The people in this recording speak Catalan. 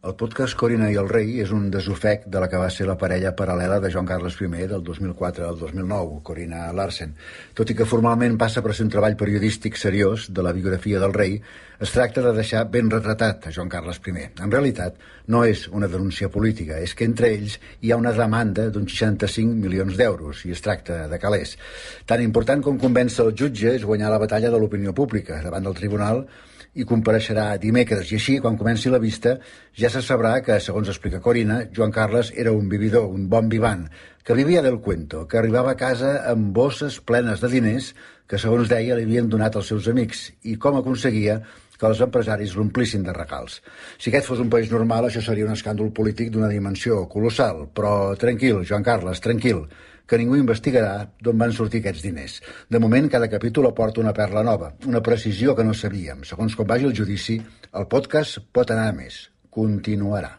El podcast Corinna i el rei és un desofec de la que va ser la parella paral·lela de Joan Carles I del 2004 al 2009, Corinna Larsen. Tot i que formalment passa per ser un treball periodístic seriós de la biografia del rei, es tracta de deixar ben retratat a Joan Carles I. En realitat, no és una denúncia política, és que entre ells hi ha una demanda d'uns 65 milions d'euros i es tracta de calés. Tan important com convèncer el jutge és guanyar la batalla de l'opinió pública davant del tribunal i compareixerà dimecres, i així, quan comenci la vista, ja se sabrà que, segons explica Corinna, Joan Carles era un vividor, un bon vivant, que vivia del cuento, que arribava a casa amb bosses plenes de diners que, segons deia, li havien donat els seus amics, i com aconseguia que els empresaris l'omplissin de regals. Si aquest fos un país normal, això seria un escàndol polític d'una dimensió colossal, però tranquil, Joan Carles, tranquil, que ningú investigarà d'on van sortir aquests diners. De moment, cada capítol aporta una perla nova, una precisió que no sabíem. Segons com vagi el judici, el podcast pot anar a més. Continuarà.